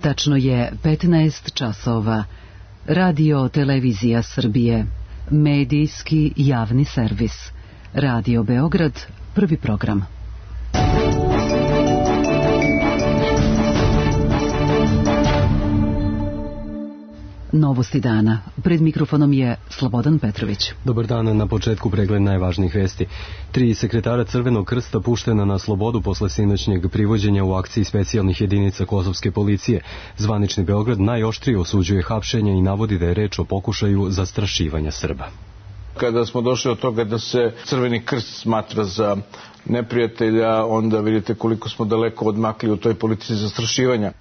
Tačno je 15 časova. Radio Televizija Srbije. Medijski javni servis. Radio Beograd, prvi program. Novosti dana. Pred mikrofonom je Slobodan Petrović. Dobar dan, na početku pregled najvažnijih vesti. 3 sekretara Crvenog krsta puštena na slobodu posle sinoćnjeg privođenja u akciji specijalnih jedinica kosovske policije. Zvanični Beograd najoštrije osuđuje hapšenje i navodi da je reč o pokušaju zastrašivanja Srba. Kada smo došli od toga da se Crveni krst smatra za neprijatelja, onda vidite koliko smo daleko odmakli u toj politici zastrašivanja.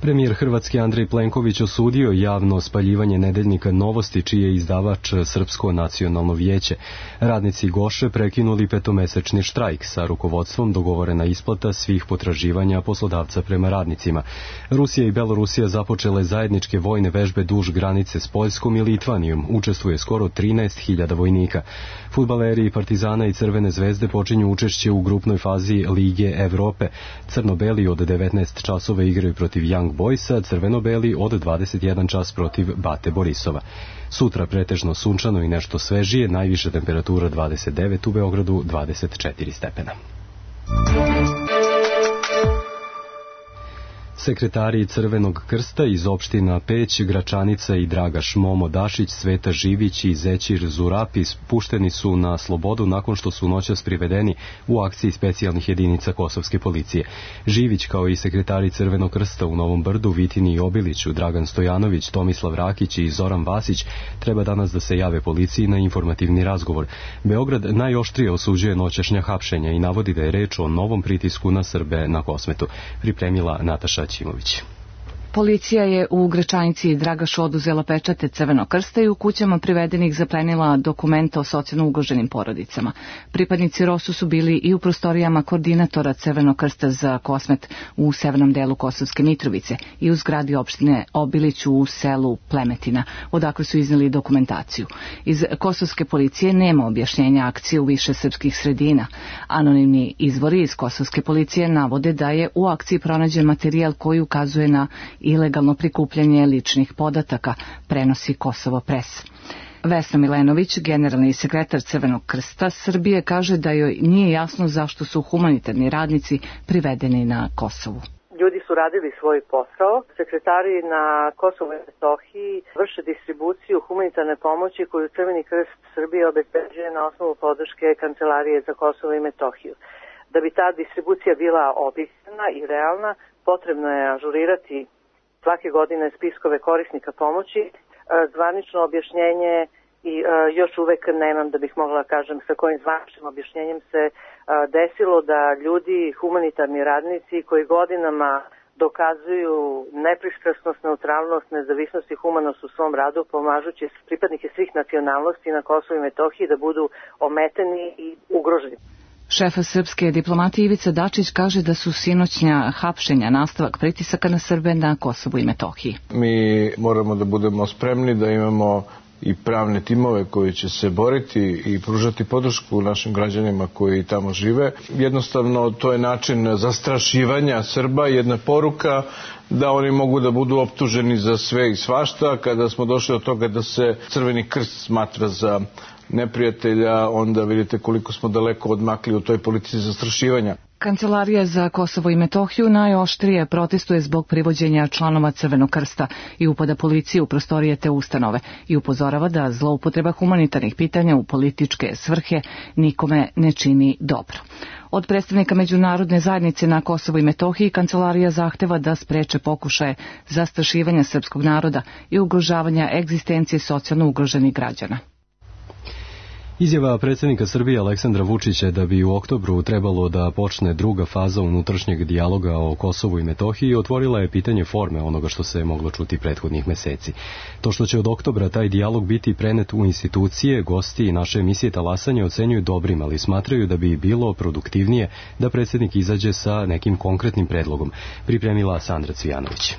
Premijer Hrvatske Andrej Plenković osudio javno spaljivanje nedeljnika Novosti, čiji je izdavač Srpsko nacionalno vijeće. Radnici Goše prekinuli 5-mesečni štrajk, sa rukovodstvom dogovorena isplata svih potraživanja poslodavca prema radnicima. Rusija i Belorusija započele zajedničke vojne vežbe duž granice s Poljskom i Litvanijom. Učestvuje skoro 13.000 vojnika. Fudbaleri Partizana i Crvene zvezde počinju učešće u grupnoj fazi Lige Evrope. Crno-beli od 19 časova igraju protiv Young Boysa, crveno-beli od 21 čas protiv Bate Borisova. Sutra pretežno sunčano i nešto svežije, najviša temperatura 29, u Beogradu 24 stepena. Sekretari Crvenog krsta iz opština Peć, Gračanica i Dragaš Momo Dašić, Sveta Živić i Zećir Zurapi pušteni su na slobodu nakon što su noćas privedeni u akciji specijalnih jedinica kosovske policije. Živić, kao i sekretari Crvenog krsta u Novom Brdu, Vitini i Obiliću, Dragan Stojanović, Tomislav Rakić i Zoran Vasić, treba danas da se jave policiji na informativni razgovor. Beograd najoštrije osuđuje noćašnja hapšenja i navodi da je reč o novom pritisku na Srbe na Kosmetu. Pripremila Nataša Ćimović. Policija je u Gračanici i Dragašu oduzela pečate Crvenog krsta i u kućama privedenih zaplenila dokumenta o socijalno ugroženim porodicama. Pripadnici ROSU su bili i u prostorijama koordinatora Crvenog krsta za Kosmet u severnom delu Kosovske Mitrovice i u zgradi opštine Obiliću u selu Plemetina, odakle su izneli dokumentaciju. Iz kosovske policije nema objašnjenja akcije u više srpskih sredina. Anonimni izvori iz kosovske policije navode da je u akciji pronađen materijal koji ukazuje na ilegalno prikupljanje ličnih podataka, prenosi Kosovo Pres. Vesna Milenović, generalni sekretar Crvenog krsta Srbije, kaže da joj nije jasno zašto su humanitarni radnici privedeni na Kosovu. Ljudi su radili svoj posao. Sekretari na Kosovu i Metohiji vrše distribuciju humanitarne pomoći koju Crveni krst Srbije obezbeđuje na osnovu podrške Kancelarije za Kosovo i Metohiju. Da bi ta distribucija bila objektivna i realna, potrebno je ažurirati svake godine spiskove korisnika pomoći. Zvanično objašnjenje i još uvek nemam da bih mogla kažem sa kojim zvaničnim objašnjenjem se desilo da ljudi, humanitarni radnici koji godinama dokazuju nepristrasnost, neutralnost, nezavisnost i humanost u svom radu, pomažući pripadnike svih nacionalnosti na Kosovu i Metohiji da budu ometeni i ugroženi. Šefa srpske diplomatije Ivica Dačić kaže da su sinoćnja hapšenja nastavak pritisaka na Srbe na Kosovu i Metohiji. Mi moramo da budemo spremni, da imamo i pravne timove koji će se boriti i pružati podršku našim građanima koji tamo žive. Jednostavno, to je način zastrašivanja Srba, jedna poruka da oni mogu da budu optuženi za sve i svašta. Kada smo došli od toga da se Crveni krst smatra za neprijatelja, onda vidite koliko smo daleko odmakli u toj politici zastrašivanja. Kancelarija za Kosovo i Metohiju najoštrije protestuje zbog privođenja članova Crvenog krsta i upada policije u prostorije te ustanove i upozorava da zloupotreba humanitarnih pitanja u političke svrhe nikome ne čini dobro. Od predstavnika međunarodne zajednice na Kosovu i Metohiji Kancelarija zahteva da spreče pokušaje zastrašivanja srpskog naroda i ugrožavanja egzistencije socijalno ugroženih građana. Izjava predsjednika Srbije Aleksandra Vučića da bi u oktobru trebalo da počne druga faza unutrašnjeg dijaloga o Kosovu i Metohiji otvorila je pitanje forme onoga što se moglo čuti prethodnih meseci. To što će od oktobra taj dijalog biti prenet u institucije, gosti i naše emisije Talasanje ocenjuju dobrim, ali smatraju da bi bilo produktivnije da predsjednik izađe sa nekim konkretnim predlogom, pripremila Sandra Cvijanović.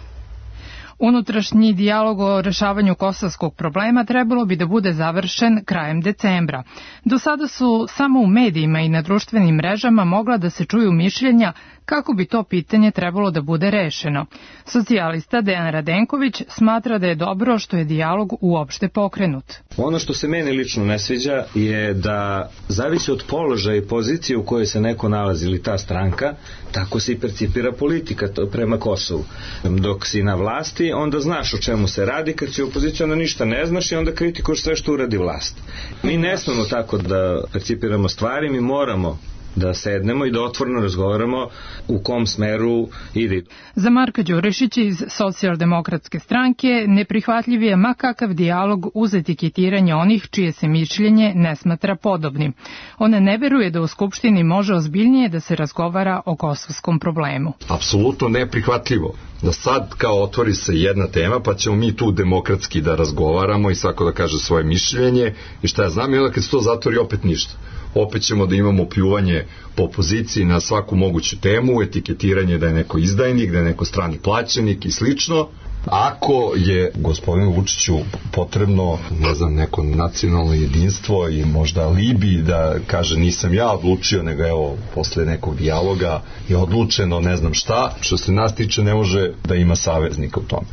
Unutrašnji dijalog o rešavanju kosovskog problema trebalo bi da bude završen krajem decembra. Do sada su samo u medijima i na društvenim mrežama mogla da se čuju mišljenja kako bi to pitanje trebalo da bude rešeno. Socijalista Dejan Radenković smatra da je dobro što je dijalog uopšte pokrenut. Ono što se meni lično ne sviđa je da zavisi od položaja i pozicije u kojoj se neko nalazi ili ta stranka, tako se i percipira politika prema Kosovu. Dok si na vlasti, onda znaš o čemu se radi, kad si opozicija, onda ništa ne znaš i onda kritikuješ sve što uradi vlast. Mi ne smemo tako da percipiramo stvari, mi moramo da sednemo i da otvoreno razgovaramo u kom smeru ide. Za Marka Đurišića iz Socijaldemokratske stranke neprihvatljiv je ma kakav dijalog uz etiketiranje onih čije se mišljenje ne smatra podobnim. On ne veruje da u Skupštini može ozbiljnije da se razgovara o kosovskom problemu. Apsolutno neprihvatljivo da sad kao otvori se jedna tema pa ćemo mi tu demokratski da razgovaramo i svako da kaže svoje mišljenje i šta ja znam i onda kad se to zatvori opet ništa. Opet ćemo da imamo pljuvanje po opoziciji na svaku moguću temu, etiketiranje da je neko izdajnik, da je neko strani plaćenik i slično. Ako je gospodinu Vučiću potrebno, ne znam, neko nacionalno jedinstvo i možda alibi da kaže nisam ja odlučio, nego evo, posle nekog dijaloga je odlučeno ne znam šta, što se nas tiče ne može da ima saveznika u tome.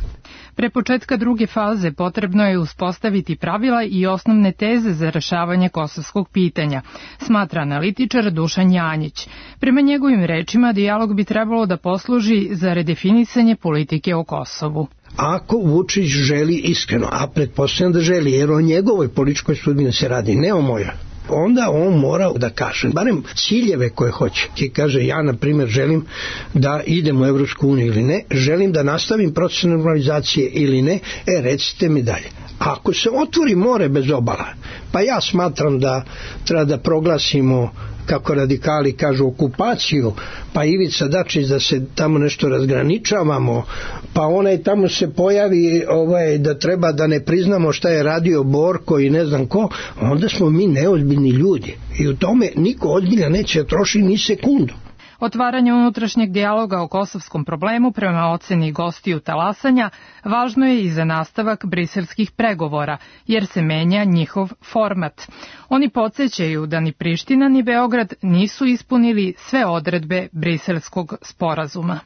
Pre početka druge faze potrebno je uspostaviti pravila i osnovne teze za rešavanje kosovskog pitanja, smatra analitičar Dušan Janjić. Prema njegovim rečima, dijalog bi trebalo da posluži za redefinisanje politike o Kosovu. Ako Vučić želi iskreno, a pretpostavljam da želi, jer o njegovoj političkoj sudbini se radi, ne o mojoj, onda on mora da kaže, barem ciljeve koje hoće. Ti kaže, ja na primjer želim da idem u Evropsku uniju ili ne, želim da nastavim proces normalizacije ili ne, recite mi dalje. Ako se otvori more bez obala, pa ja smatram da treba da proglasimo, kako radikali kažu, okupaciju, pa Ivica Dačić da se tamo nešto razgraničavamo, pa onaj tamo se pojavi da treba da ne priznamo šta je radio Borko i ne znam ko, onda smo mi neozbiljni ljudi i u tome niko ozbiljno neće trošiti ni sekundu. Otvaranje unutrašnjeg dijaloga o kosovskom problemu prema oceni gostiju talasanja važno je i za nastavak briselskih pregovora, jer se menja njihov format. Oni podsjećaju da ni Priština ni Beograd nisu ispunili sve odredbe briselskog sporazuma.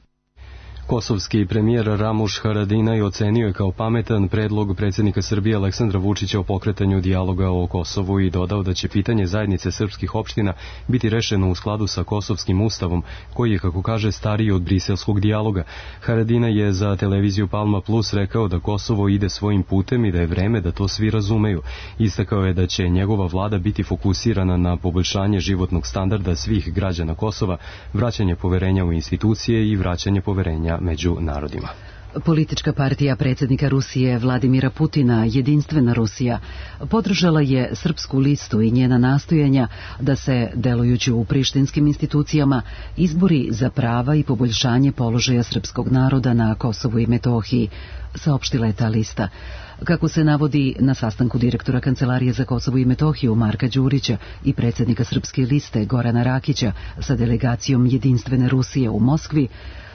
Kosovski premijer Ramuš Haradinaj ocenio je kao pametan predlog predsjednika Srbije Aleksandra Vučića o pokretanju dijaloga o Kosovu i dodao da će pitanje zajednice srpskih opština biti rešeno u skladu sa kosovskim ustavom, koji je, kako kaže, stariji od briselskog dijaloga. Haradinaj je za televiziju Palma Plus rekao da Kosovo ide svojim putem i da je vreme da to svi razumeju. Istakao je da će njegova vlada biti fokusirana na poboljšanje životnog standarda svih građana Kosova, vraćanje poverenja u institucije i vraćanje poverenja među narodima. Politička partija predsjednika Rusije Vladimira Putina, Jedinstvena Rusija, podržala je Srpsku listu i njena nastojanja da se, delujući u prištinskim institucijama, izbori za prava i poboljšanje položaja srpskog naroda na Kosovu i Metohiji, saopštila je ta lista. Kako se navodi na sastanku direktora Kancelarije za Kosovo i Metohiju Marka Đurića i predsjednika Srpske liste Gorana Rakića sa delegacijom Jedinstvene Rusije u Moskvi,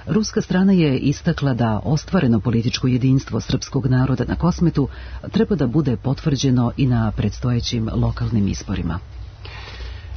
ruska strana je istakla da ostvareno političko jedinstvo srpskog naroda na Kosmetu treba da bude potvrđeno i na predstojećim lokalnim izborima.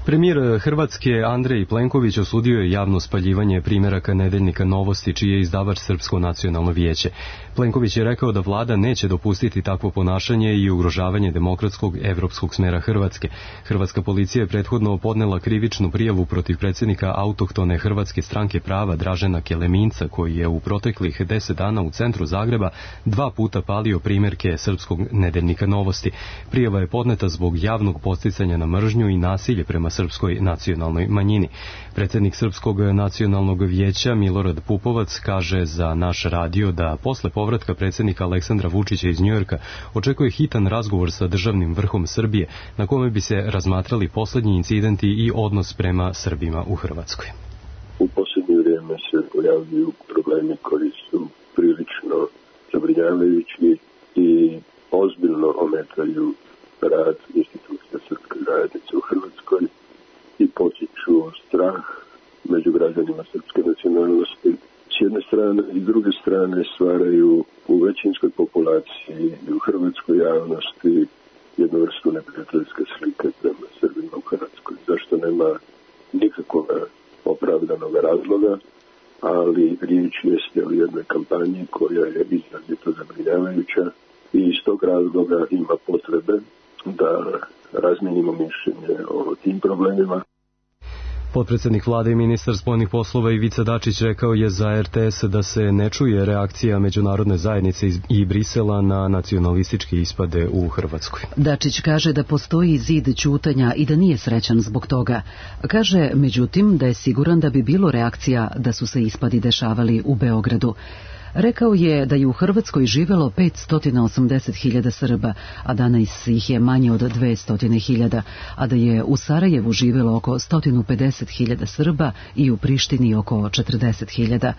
Premijer Hrvatske Andrej Plenković osudio je javno spaljivanje primeraka nedeljnika Novosti, čiji je izdavač Srpsko nacionalno vijeće. Plenković je rekao da vlada neće dopustiti takvo ponašanje i ugrožavanje demokratskog evropskog smera Hrvatske. Hrvatska policija je prethodno podnela krivičnu prijavu protiv predsjednika autohtone Hrvatske stranke prava Dražena Keleminca, koji je u proteklih 10 dana u centru Zagreba 2 puta palio primerke Srpskog nedeljnika Novosti. Prijava je podneta zbog javnog podsticanja na mržnju i nasilje prema srpskoj nacionalnoj manjini. Predsjednik Srpskog nacionalnog vijeća Milorad Pupovac kaže za naš radio da posle povratka predsjednika Aleksandra Vučića iz Njujorka očekuje hitan razgovor sa državnim vrhom Srbije, na kome bi se razmatrali posljednji incidenti i odnos prema Srbima u Hrvatskoj. U posljednje vrijeme se pojavljuju problemi koji su prilično zabrinjavajući i ozbiljno ometaju rad institucija srpske zajednice u Hrvatskoj i potiču strah među građanima srpske nacionalnosti s jedne strane i s druge strane stvaraju u većinskoj populaciji i u hrvatskoj javnosti jednu vrstu neprijateljske slike prema Srbima u Hrvatskoj. Zašto nema nikakvog opravdanog razloga ali riječ jeste o jednoj kampanji koja je izrazito zabrinjavajuća i iz tog razloga ima potrebe da razmijenimo mišljenje o tim problemima. Potpredsjednik vlade i ministar spoljnih poslova Ivica Dačić rekao je za RTS da se ne čuje reakcija međunarodne zajednice i Brisela na nacionalističke ispade u Hrvatskoj. Dačić kaže da postoji zid ćutanja i da nije srećan zbog toga. Kaže, međutim, da je siguran da bi bilo reakcija da su se ispadi dešavali u Beogradu. Rekao je da je u Hrvatskoj živelo 580.000 Srba, a danas ih je manje od 200.000, a da je u Sarajevu živelo oko 150.000 Srba i u Prištini oko 40.000.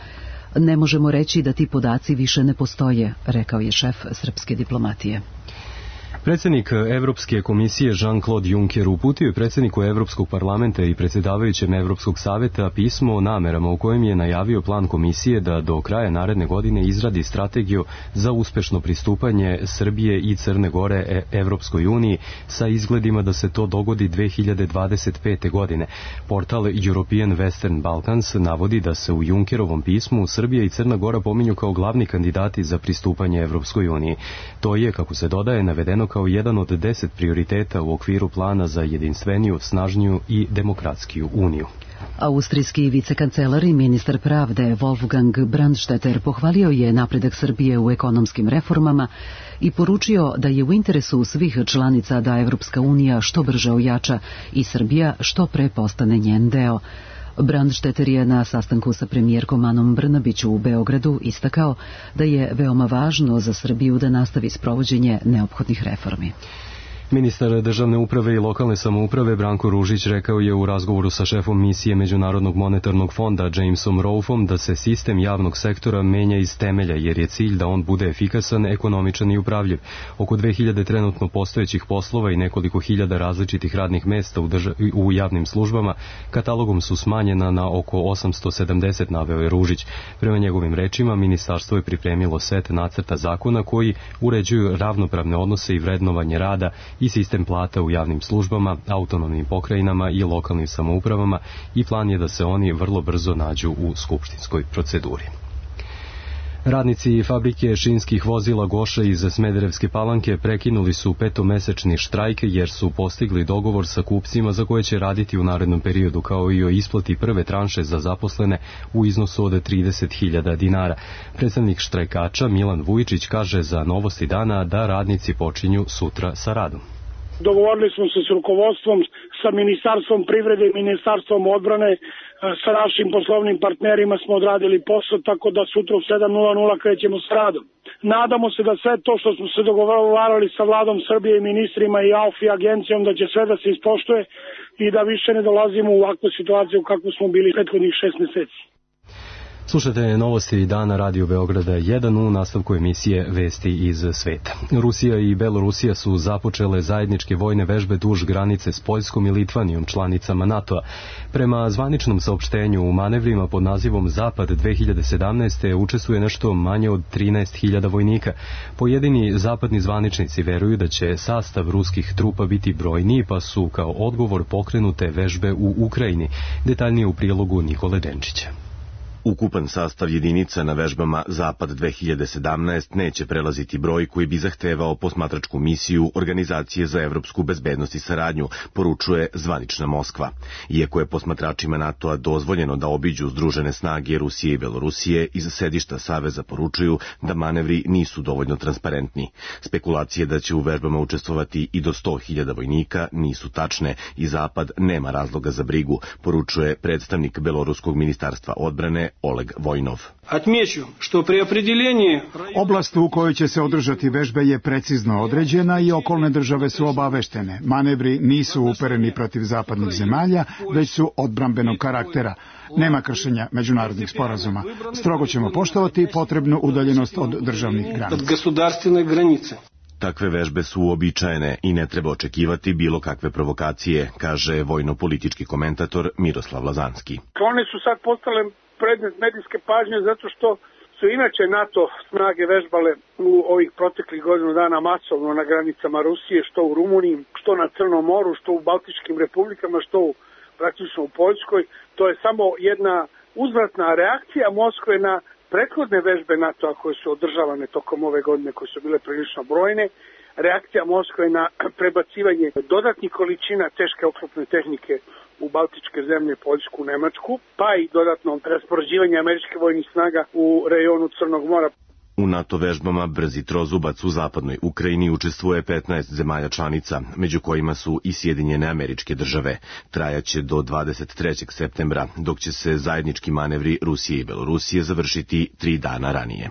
Ne možemo reći da ti podaci više ne postoje, rekao je šef srpske diplomatije. Predsjednik Evropske komisije Jean-Claude Juncker uputio je predsjedniku Evropskog parlamenta i predsjedavajućem Evropskog savjeta pismo o namerama u kojem je najavio plan komisije da do kraja naredne godine izradi strategiju za uspešno pristupanje Srbije i Crne Gore Evropskoj uniji sa izgledima da se to dogodi 2025. godine. Portal European Western Balkans navodi da se u Junckerovom pismu Srbija i Crna Gora pominju kao glavni kandidati za pristupanje Evropskoj uniji. To je, kako se dodaje, navedeno kao jedan od 10 prioriteta u okviru plana za jedinstveniju, snažniju i demokratskiju uniju. Austrijski vicekancelar i ministar pravde Wolfgang Brandstetter pohvalio je napredak Srbije u ekonomskim reformama i poručio da je u interesu svih članica da Evropska unija što brže ojača i Srbija što pre postane njen deo. Brandstetter je na sastanku sa premijerkom Anom Brnabić u Beogradu istakao da je veoma važno za Srbiju da nastavi sprovođenje neophodnih reformi. Ministar državne uprave i lokalne samouprave Branko Ružić rekao je u razgovoru sa šefom misije Međunarodnog monetarnog fonda Jamesom Rolfom da se sistem javnog sektora menja iz temelja jer je cilj da on bude efikasan, ekonomičan i upravljiv. Oko 2000 trenutno postojećih poslova i nekoliko hiljada različitih radnih mesta u javnim službama katalogom su smanjena na oko 870, naveo je Ružić. Prema njegovim rečima, ministarstvo je pripremilo set nacrta zakona koji uređuju ravnopravne odnose i vrednovanje rada i sistem plata u javnim službama, autonomnim pokrajinama i lokalnim samoupravama i plan je da se oni vrlo brzo nađu u skupštinskoj proceduri. Radnici fabrike šinskih vozila Goša iz Smederevske Palanke prekinuli su petomesečni štrajk jer su postigli dogovor sa kupcima za koje će raditi u narednom periodu, kao i o isplati prve tranše za zaposlene u iznosu od 30.000 dinara. Predstavnik štrajkača Milan Vujičić kaže za Novosti dana da radnici počinju sutra sa radom. Dogovorili smo se s rukovodstvom, sa Ministarstvom privrede i Ministarstvom odbrane, sa našim poslovnim partnerima smo odradili posao, tako da sutra u 7:00 krećemo s radom. Nadamo se da sve to što smo se dogovarali sa vladom Srbije i ministrima i AUF i agencijom da će sve da se ispoštuje i da više ne dolazimo u ovakvu situaciju kako smo bili prethodnih 6 meseci. Slušajte Novosti dana Radio Beograda 1 u nastavku emisije Vesti iz sveta. Rusija i Belorusija su započele zajedničke vojne vežbe duž granice s Poljskom i Litvanijom, članicama NATO-a. Prema zvaničnom saopštenju u manevrima pod nazivom Zapad 2017. učestvuje nešto manje od 13.000 vojnika. Pojedini zapadni zvaničnici veruju da će sastav ruskih trupa biti brojniji, pa su kao odgovor pokrenute vežbe u Ukrajini. Detaljnije u prilogu Nikole Denčića. Ukupan sastav jedinica na vežbama Zapad 2017 neće prelaziti broj koji bi zahtevao posmatračku misiju Organizacije za evropsku bezbednost i saradnju, poručuje zvanična Moskva. Iako je posmatračima NATO-a dozvoljeno da obiđu združene snage Rusije i Belorusije, iz sedišta Saveza poručuju da manevri nisu dovoljno transparentni. Spekulacije da će u vežbama učestvovati i do 100.000 vojnika nisu tačne i Zapad nema razloga za brigu, poručuje predstavnik Beloruskog ministarstva odbrane Oleg Vojnov. Oblast u kojoj će se održati vežbe je precizno određena i okolne države su obaveštene. Manevri nisu upereni protiv zapadnih zemalja, već su odbrambenog karaktera. Nema kršenja međunarodnih sporazuma. Strogo ćemo poštovati potrebnu udaljenost od državnih granica. Takve vežbe su uobičajene i ne treba očekivati bilo kakve provokacije, kaže vojno-politički komentator Miroslav Lazanski. One su sad postale predmet medijske pažnje zato što su inače NATO snage vežbale u ovih proteklih godinu dana masovno na granicama Rusije, što u Rumuniji, što na Crnom moru, što u Baltičkim republikama, što praktično u Poljskoj. To je samo jedna uzvratna reakcija Moskve na prethodne vežbe NATO-a koje su održavane tokom ove godine, koje su bile prilično brojne, reakcija Moskve na prebacivanje dodatnih količina teške oklopne tehnike u baltičke zemlje, Poljsku, Nemačku, pa i dodatno raspoređivanje američkih vojnih snaga u rejonu Crnog mora. U NATO vežbama Brzi trozubac u zapadnoj Ukrajini učestvuje 15 zemalja članica, među kojima su i Sjedinjene Američke Države. Trajaće do 23. septembra, dok će se zajednički manevri Rusije i Belorusije završiti 3 dana ranije.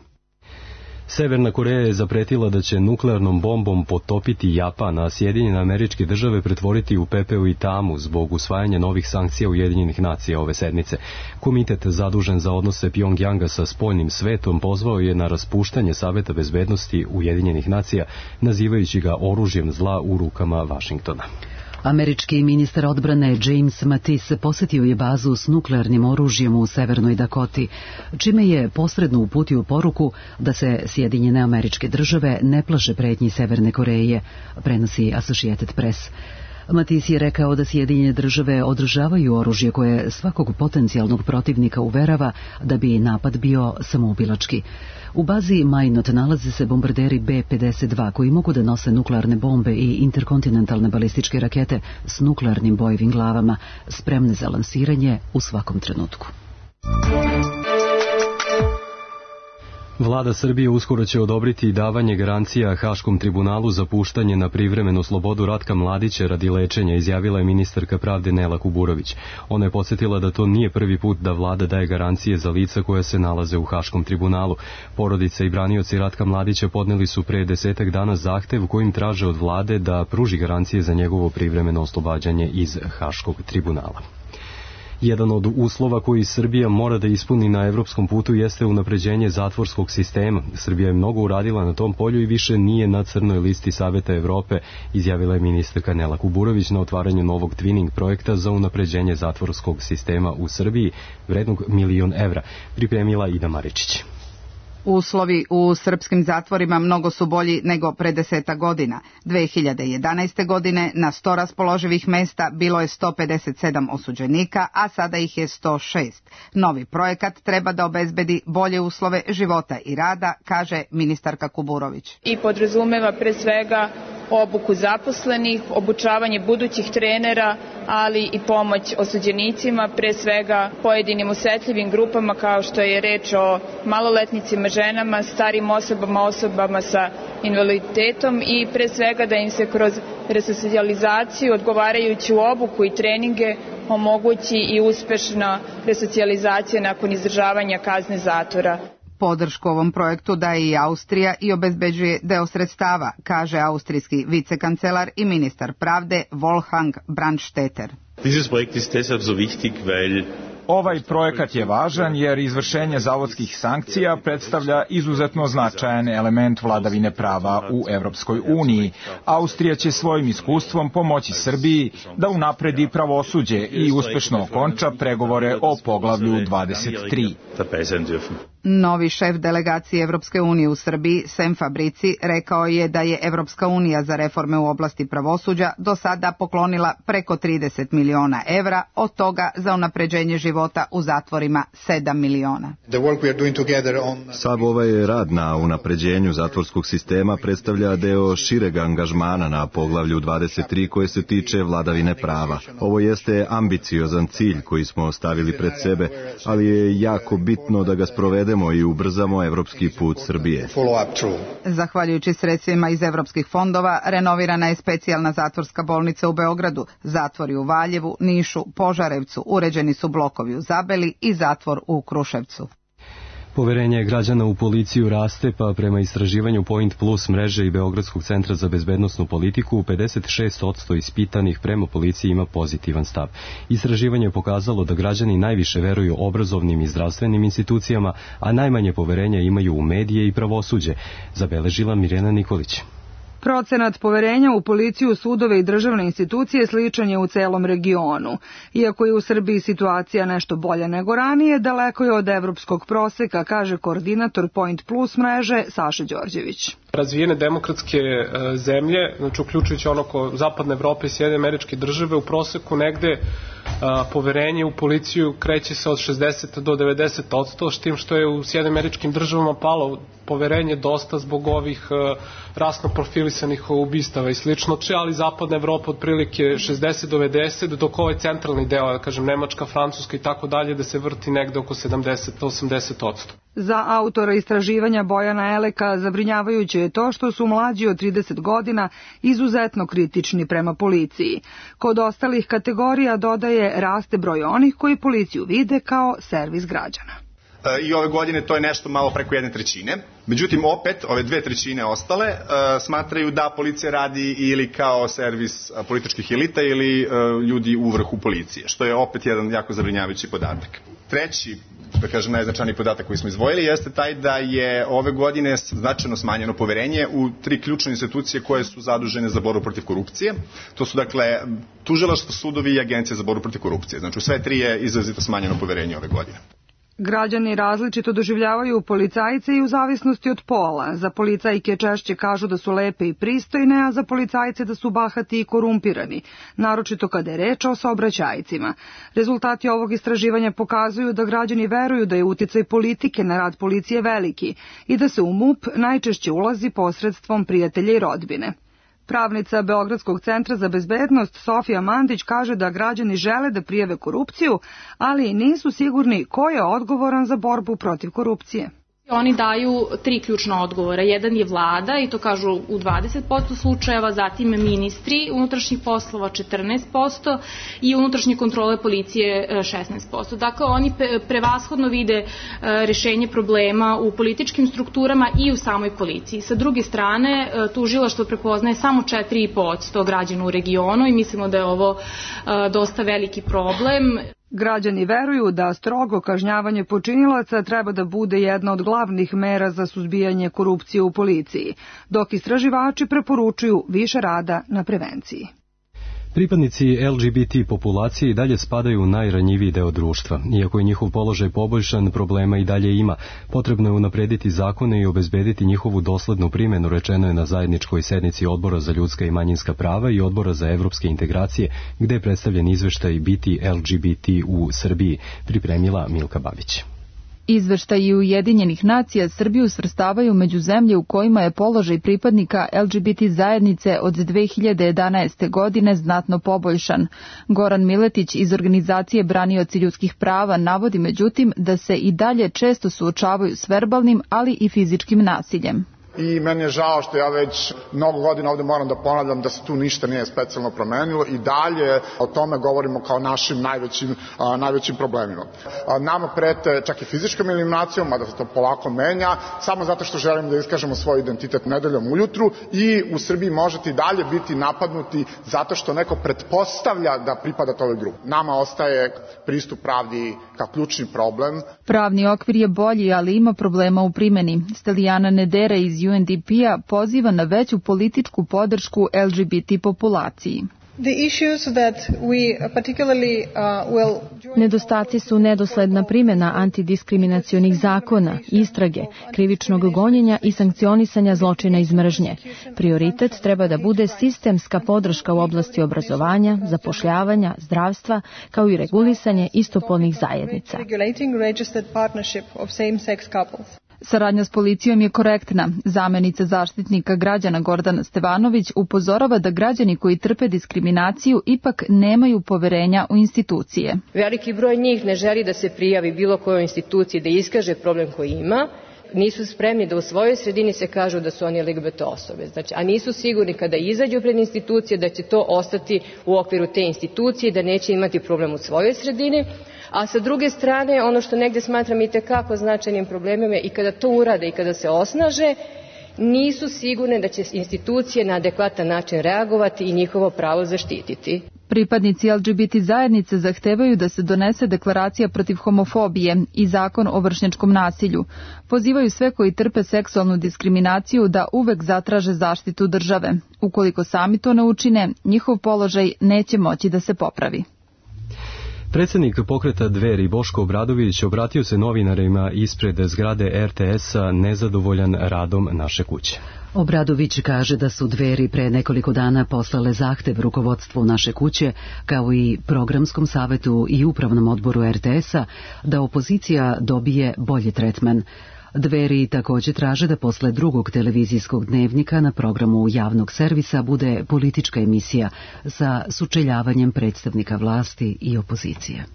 Severna Koreja je zapretila da će nuklearnom bombom potopiti Japan, a Sjedinjene Američke Države pretvoriti u pepeo i tamu zbog usvajanja novih sankcija Ujedinjenih nacija ove sedmice. Komitet zadužen za odnose Pjongjanga sa spoljnim svetom pozvao je na raspuštanje Saveta bezbednosti Ujedinjenih nacija, nazivajući ga oružjem zla u rukama Vašingtona. Američki ministar odbrane James Mattis posetio je bazu s nuklearnim oružjem u Severnoj Dakoti, čime je posredno uputio poruku da se Sjedinjene Američke Države ne plaše pretnji Severne Koreje, prenosi Associated Press. Mattis je rekao da Sjedinjene Države održavaju oružje koje svakog potencijalnog protivnika uverava da bi napad bio samoubilački. U bazi Minot nalaze se bombarderi B-52 koji mogu da nose nuklearne bombe i interkontinentalne balističke rakete s nuklearnim bojevim glavama, spremne za lansiranje u svakom trenutku. Vlada Srbije uskoro će odobriti davanje garancija Haškom tribunalu za puštanje na privremenu slobodu Ratka Mladića radi lečenja, izjavila je ministarka pravde Nela Kuburović. Ona je podsjetila da to nije prvi put da vlada daje garancije za lica koja se nalaze u Haškom tribunalu. Porodice i branioci Ratka Mladića podneli su pre 10 dana zahtev kojim traže od vlade da pruži garancije za njegovo privremeno oslobađanje iz Haškog tribunala. Jedan od uslova koji Srbija mora da ispuni na evropskom putu jeste unapređenje zatvorskog sistema. Srbija je mnogo uradila na tom polju i više nije na crnoj listi Saveta Evrope, izjavila je ministarka Nela Kuburović na otvaranju novog twinning projekta za unapređenje zatvorskog sistema u Srbiji, vrednog $1 milion, pripremila Ida Maričić. Uslovi u srpskim zatvorima mnogo su bolji nego pre 10 godina. 2011. godine na 100 raspoloživih mesta bilo je 157 osuđenika, a sada ih je 106. Novi projekat treba da obezbedi bolje uslove života i rada, kaže ministarka Kuburović. I podrazumeva pre svega obuku zaposlenih, obučavanje budućih trenera, ali i pomoć osuđenicima, pre svega pojedinim osetljivim grupama kao što je reč o maloletnicima, ženama, starim osobama, osobama sa invaliditetom i pre svega da im se kroz resocijalizaciju, odgovarajuću obuku i treninge omogući i uspešna resocijalizacija nakon izdržavanja kazne zatvora. Podršku ovom projektu daje i Austrija i obezbeđuje deo sredstava, kaže austrijski vicekancelar i ministar pravde Wolfgang Brandstetter. Ovaj projekat je važan jer izvršenje zavodskih sankcija predstavlja izuzetno značajan element vladavine prava u Evropskoj uniji. Austrija će svojim iskustvom pomoći Srbiji da unapredi pravosuđe i uspešno okonča pregovore o poglavlju 23. Novi šef delegacije Evropske unije u Srbiji, Sem Fabrici, rekao je da je Evropska unija za reforme u oblasti pravosuđa do sada poklonila preko 30 miliona evra, od toga za unapređenje života u zatvorima 7 miliona. Sav ovaj rad na unapređenju zatvorskog sistema predstavlja deo šireg angažmana na poglavlju 23 koje se tiče vladavine prava. Ovo jeste ambiciozan cilj koji smo stavili pred sebe, ali je jako bitno da ga sprovedemo i ubrzamo evropski put Srbije. Zahvaljujući sredstvima iz evropskih fondova, renovirana je specijalna zatvorska bolnica u Beogradu, zatvori u Valjevu, Nišu, Požarevcu, uređeni su blokovi u Zabeli i zatvor u Kruševcu. Poverenje građana u policiju raste, pa prema istraživanju Point Plus mreže i Beogradskog centra za bezbednosnu politiku, 56% ispitanih prema policiji ima pozitivan stav. Istraživanje je pokazalo da građani najviše veruju obrazovnim i zdravstvenim institucijama, a najmanje poverenja imaju u medije i pravosuđe, zabeležila Mirjana Nikolić. Procenat poverenja u policiju, sudove i državne institucije sličan je u celom regionu. Iako je u Srbiji situacija nešto bolja nego ranije, daleko je od evropskog proseka, kaže koordinator Point Plus mreže Saša Đorđević. Razvijene demokratske zemlje, znači uključujući zapadne Evrope i Sjedinjene Američke Države, u proseku negde poverenje u policiju kreće se od 60 do 90%, s tim što je u Sjedinjenim Američkim Državama palo poverenje dosta zbog ovih rasno profilisanih ubistava i slično, ali zapadna Evropa otprilike 60 do 90, dok ovaj centralni deo, da kažem Nemačka, Francuska i tako dalje, da se vrti negde oko 70 do 80%. Za autora istraživanja Bojana Eleka zabrinjavajuće je to što su mlađi od 30 godina izuzetno kritični prema policiji. Kod ostalih kategorija, dodaje, raste broj onih koji policiju vide kao servis građana. I ove godine to je nešto malo preko 1/3. Međutim, opet, ove 2/3 ostale smatraju da policija radi ili kao servis političkih elita ili ljudi u vrhu policije, što je opet jedan jako zabrinjavajući podatak. Treći, da kažem, najznačajniji podatak koji smo izdvojili jeste taj da je ove godine značajno smanjeno poverenje u 3 ključne institucije koje su zadužene za borbu protiv korupcije. To su, dakle, tužilaštvo, sudovi i agencije za borbu protiv korupcije. Znači, u sve 3 je izrazito smanjeno poverenje ove godine. Građani različito doživljavaju policajce i u zavisnosti od pola. Za policajke češće kažu da su lepe i pristojne, a za policajce da su bahati i korumpirani, naročito kada je reč o saobraćajcima. Rezultati ovog istraživanja pokazuju da građani veruju da je uticaj politike na rad policije veliki i da se u MUP najčešće ulazi posredstvom prijatelja i rodbine. Pravnica Beogradskog centra za bezbednost Sofija Mandić kaže da građani žele da prijave korupciju, ali nisu sigurni ko je odgovoran za borbu protiv korupcije. Oni daju 3 ključna odgovora. Jedan je vlada, i to kažu u 20% slučajeva, zatim ministri unutrašnjih poslova 14% i unutrašnje kontrole policije 16%. Dakle, oni prevashodno vide rešenje problema u političkim strukturama i u samoj policiji. Sa druge strane, tužilaštvo prepoznaje samo 4,5% građana u regionu i mislimo da je ovo dosta veliki problem. Građani veruju da strogo kažnjavanje počinilaca treba da bude jedna od glavnih mera za suzbijanje korupcije u policiji, dok istraživači preporučuju više rada na prevenciji. Pripadnici LGBT populacije i dalje spadaju u najranjiviji deo društva. Iako je njihov položaj poboljšan, problema i dalje ima. Potrebno je unaprediti zakone i obezbediti njihovu doslednu primjenu, rečeno je na zajedničkoj sednici Odbora za ljudska i manjinska prava i Odbora za evropske integracije, gde je predstavljen izveštaj Biti LGBT u Srbiji, pripremila Milka Babić. Izveštaji Ujedinjenih nacija Srbiju svrstavaju među zemlje u kojima je položaj pripadnika LGBT zajednice od 2011. godine znatno poboljšan. Goran Miletić iz organizacije Branioci ljudskih prava navodi međutim da se i dalje često suočavaju s verbalnim, ali i fizičkim nasiljem. I meni je žao što ja već mnogo godina ovde moram da ponavljam da se tu ništa nije specijalno promenilo i dalje o tome govorimo kao našim najvećim problemima. Nama prete čak i fizičkom eliminacijom, mada se to polako menja, samo zato što želimo da iskažemo svoj identitet nedeljom ujutru i u Srbiji možete i dalje biti napadnuti zato što neko pretpostavlja da pripadate ovoj grupi. Nama ostaje pristup pravdi kao ključni problem. Pravni okvir je bolji, ali ima problema u primjeni. Stelijana Nedera iz UNDP-a poziva na veću političku podršku LGBT populaciji. Nedostaci su nedosledna primjena antidiskriminacionih zakona, istrage, krivičnog gonjenja i sankcionisanja zločina iz mržnje. Prioritet treba da bude sistemska podrška u oblasti obrazovanja, zapošljavanja, zdravstva, kao i regulisanje istopolnih zajednica. Saradnja s policijom je korektna. Zamenica zaštitnika građana Gordana Stevanović upozorava da građani koji trpe diskriminaciju ipak nemaju poverenja u institucije. Veliki broj njih ne želi da se prijavi bilo kojoj instituciji da iskaže problem koji ima. Nisu spremni da u svojoj sredini se kažu da su oni LGBT osobe. Znači, a nisu sigurni kada izađu pred institucije da će to ostati u okviru te institucije, da neće imati problem u svojoj sredini. A sa druge strane, ono što negde smatram i tekako značajnim problemom je i kada to urade i kada se osnaže, nisu sigurne da će institucije na adekvatan način reagovati i njihovo pravo zaštititi. Pripadnici LGBT zajednice zahtevaju da se donese deklaracija protiv homofobije i zakon o vršnjačkom nasilju. Pozivaju sve koji trpe seksualnu diskriminaciju da uvek zatraže zaštitu države. Ukoliko sami to ne učine, njihov položaj neće moći da se popravi. Predsjednik pokreta Dveri Boško Obradović obratio se novinarima ispred zgrade RTS-a nezadovoljan radom Naše kuće. Obradović kaže da su Dveri pre nekoliko dana poslale zahtev rukovodstvu Naše kuće, kao i programskom savetu i upravnom odboru RTS-a, da opozicija dobije bolji tretman. Dveri također traže da posle drugog televizijskog dnevnika na programu javnog servisa bude politička emisija sa sučeljavanjem predstavnika vlasti i opozicije.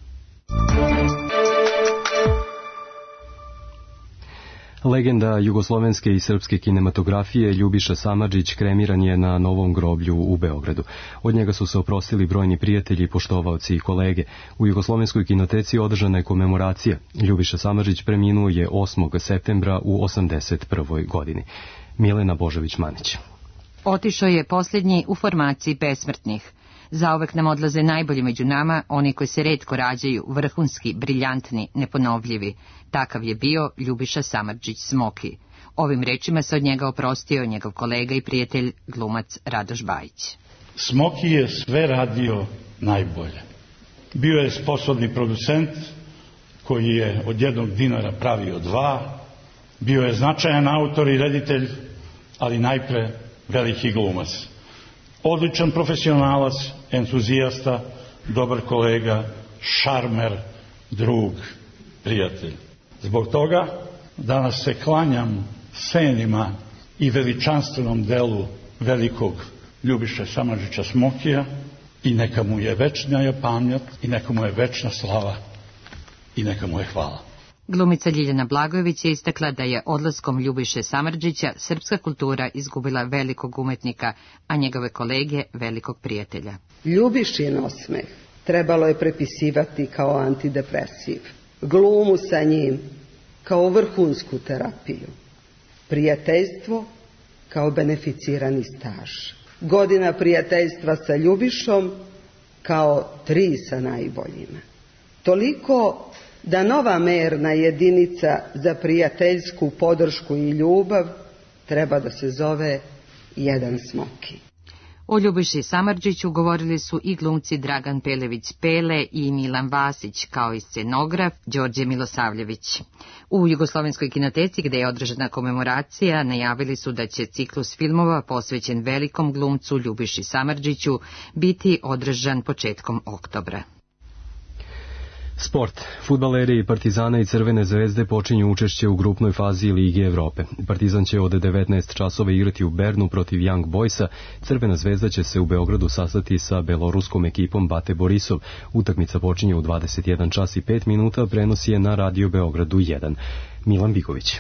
Legenda jugoslovenske i srpske kinematografije Ljubiša Samardžić kremiran je na Novom groblju u Beogradu. Od njega su se oprostili brojni prijatelji, poštovaoci i kolege. U Jugoslovenskoj kinoteci održana je komemoracija. Ljubiša Samardžić preminuo je 8. septembra u 81. godini. Milena Božović-Manić. Otišao je posljednji u formaciji besmrtnih. Zauvek nam odlaze najbolji među nama, oni koji se retko rađaju, vrhunski, briljantni, neponovljivi. Takav je bio Ljubiša Samardžić Smoki. Ovim rečima se od njega oprostio njegov kolega i prijatelj, glumac Radoš Bajić. Smoki je sve radio najbolje. Bio je sposobni producent koji je od 1 dinara pravio 2, bio je značajan autor i reditelj, ali najpre veliki glumac. Odličan profesionalac, entuzijasta, dobar kolega, šarmer, drug, prijatelj. Zbog toga danas se klanjam senima i veličanstvenom delu velikog Ljubiše Samardžića Smokija i neka mu je večna pamćat i neka mu je večna slava i neka mu je hvala. Glumica Ljiljana Blagojević je istakla da je odlaskom Ljubiše Samardžića srpska kultura izgubila velikog umetnika, a njegove kolege velikog prijatelja. Ljubišin osmeh trebalo je prepisivati kao antidepresiv, glumu sa njim kao vrhunsku terapiju, prijateljstvo kao beneficirani staž, godina prijateljstva sa Ljubišom kao 3 sa najboljima. Toliko da nova merna jedinica za prijateljsku podršku i ljubav treba da se zove jedan Smoki. O Ljubiši Samardžiću govorili su i glumci Dragan Pelević Pele i Milan Vasić, kao i scenograf Đorđe Milosavljević. U Jugoslovenskoj kinoteci, gde je održana komemoracija, najavili su da će ciklus filmova posvećen velikom glumcu Ljubiši Samardžiću biti održan početkom oktobra. Sport. Fudbaleri Partizana i Crvene zvezde počinju učešće u grupnoj fazi Lige Evrope. Partizan će od 19 časova igrati u Bernu protiv Young Boysa. Crvena zvezda će se u Beogradu sastati sa beloruskom ekipom Bate Borisov. Utakmica počinje u 21 čas i 5 minuta, prenos je na Radio Beogradu 1. Milan Biković.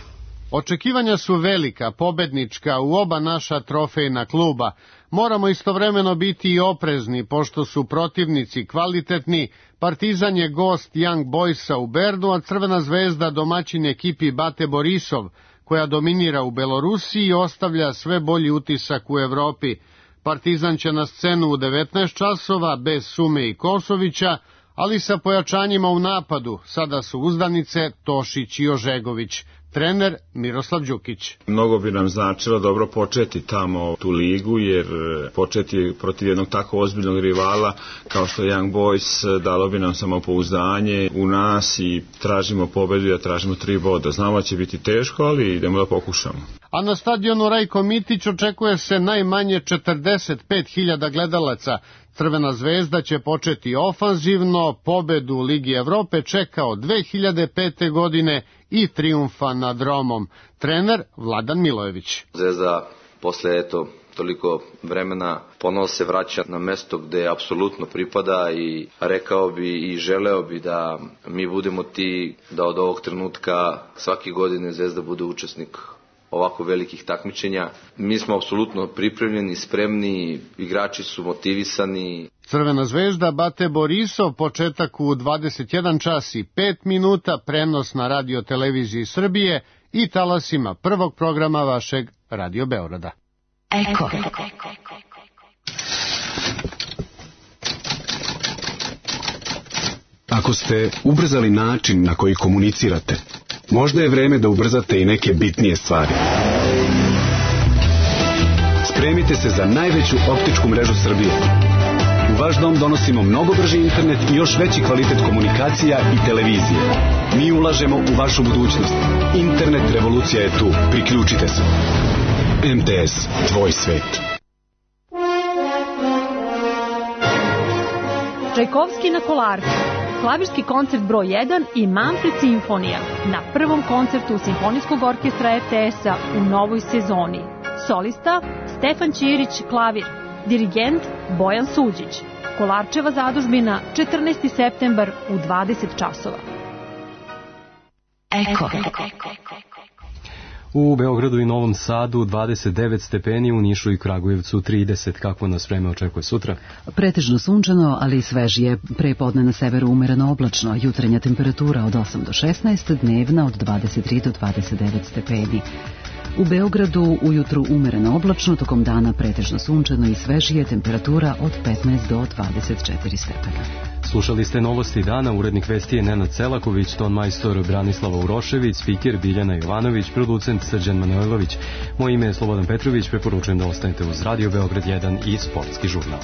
Očekivanja su velika, pobednička u oba naša trofejna kluba. Moramo istovremeno biti i oprezni, pošto su protivnici kvalitetni. Partizan je gost Young Boysa u Bernu, a Crvena zvezda domaćin ekipi Bate Borisov, koja dominira u Belorusiji i ostavlja sve bolji utisak u Evropi. Partizan će na scenu u 19 časova, bez Sume i Kosovića, ali sa pojačanjima u napadu. Sada su uzdanice Tošić i Ožegović. Trener Miroslav Đukić. Mnogo bi nam značilo dobro početi tamo tu ligu, jer početi protiv jednog tako ozbiljnog rivala kao što je Young Boys dalo bi nam samopouzdanje u nas i tražimo pobedu, ja tražimo 3 boda. Znamo da će biti teško, ali idemo da pokušamo. A na stadionu Rajko Mitić očekuje se najmanje 45.000 gledalaca. Crvena zvezda će početi ofanzivno, pobedu u Ligi Evrope čeka od 2005. godine i trijumfa nad Romom. Trener Vladan Milojević. Zvezda posle toliko vremena ponovo se vraća na mesto gde apsolutno pripada i rekao bi i želeo bi da mi budemo ti da od ovog trenutka svake godine Zvezda bude učesnik ovako velikih takmičenja. Mi smo apsolutno pripremljeni, spremni, igrači su motivisani. Crvena zvezda Bate Borisov, početak u 21 čas i 5 minuta, prenos na Radio televiziji Srbije i talasima prvog programa vašeg Radio Beograda. Eko. Ako ste ubrzali način na koji komunicirate, možda je vreme da ubrzate i neke bitnije stvari. Spremite se za najveću optičku mrežu Srbije. U vaš dom donosimo mnogo brži internet i još veći kvalitet komunikacija i televizije. Mi ulažemo u vašu budućnost. Internet revolucija je tu. Priključite se. MTS, tvoj svet. Čajkovski na Kolarcu. Klavirski koncert broj 1 i Manfred simfonija na prvom koncertu Simfonijskog orkestra RTS-a u novoj sezoni. Solista Stefan Ćirić, klavir. Dirigent Bojan Suđić. Kolarčeva zadužbina 14. septembar u 20 časova. Eko. U Beogradu i Novom Sadu 29 stepeni, u Nišu i Kragujevcu 30. Kakvo nas vreme očekuje sutra? Pretežno sunčano, ali i svežije. Prepodne na severu umereno oblačno. Jutrenja temperatura od 8 do 16, dnevna od 23 do 29 stepeni. U Beogradu ujutru umereno oblačno, tokom dana pretežno sunčano i svežije, temperatura od 15 do 24 stepena. Slušali ste novosti dana, urednik vesti je Nenad Celaković, ton majstor Branislava Urošević, spiker Biljana Jovanović, producent Srđan Manojlović. Moje ime je Slobodan Petrović, preporučujem da ostanete uz Radio Beograd 1 i Sportski žurnal.